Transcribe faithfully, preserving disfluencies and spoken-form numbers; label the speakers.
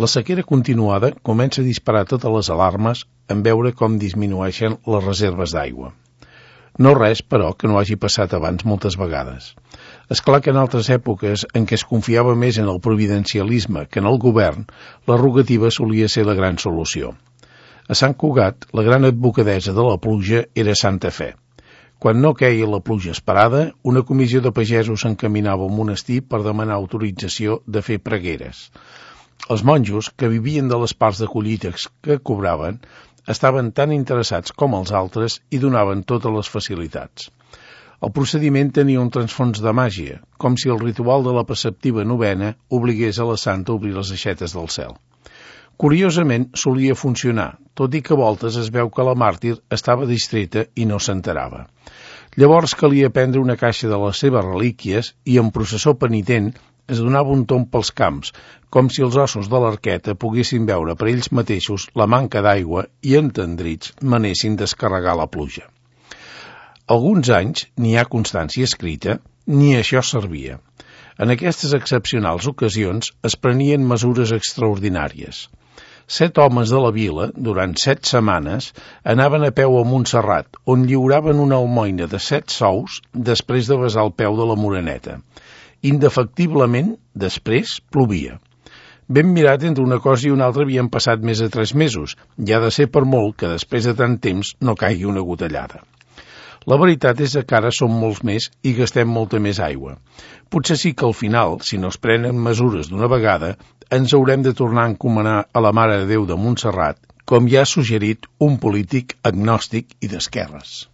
Speaker 1: La sequera continuada comença a disparar totes les alarmes en veure com disminueixen les reserves d'aigua. No res, però, que no hagi passat abans moltes vegades. És clar que en altres èpoques en què es confiava més en el providencialisme que en el govern, la rogativa solia ser la gran solució. A Sant Cugat, la gran advocadessa de la pluja era Santa Fe. Quan no queia la pluja esperada, una comissió de pagesos s'encaminava al monestir per demanar autorització de fer pregueres. Els monjos, que vivien de les parts de collites que cobraven, estaven tan interessats com els altres i donaven totes les facilitats. El procediment tenia un transfons de màgia, com si el ritual de la preceptiva novena obligués a la santa a obrir les aixetes del cel. Curiosament, solia funcionar, tot i que a voltes es veu que la màrtir estava distreta i no s'enterava. Llavors calia prendre una caixa de les seves relíquies i en processó penitent es donava un tomb pels camps, com si els ossos de l'arqueta poguessin veure per ells mateixos la manca d'aigua i entendrits manessin descarregar la pluja. Alguns anys, n'hi ha constància escrita, ni això servia. En aquestes excepcionals ocasions es prenien mesures extraordinàries. Set homes de la vila, durant set setmanes, anaven a peu a Montserrat, on lliuraven una almoina de set sous després de besar el peu de la Moreneta. Indefectiblement, després, plovia. Ben mirat, entre una cosa i una altra havien passat més de tres mesos, i ha de ser per molt que després de tant temps no caigui una gotellada. La veritat és que ara som molts més i gastem molta més aigua. Potser sí que al final, si no es prenen mesures d'una vegada, ens haurem de tornar a encomanar a la Mare de Déu de Montserrat, com ja ha suggerit un polític agnòstic i d'esquerres.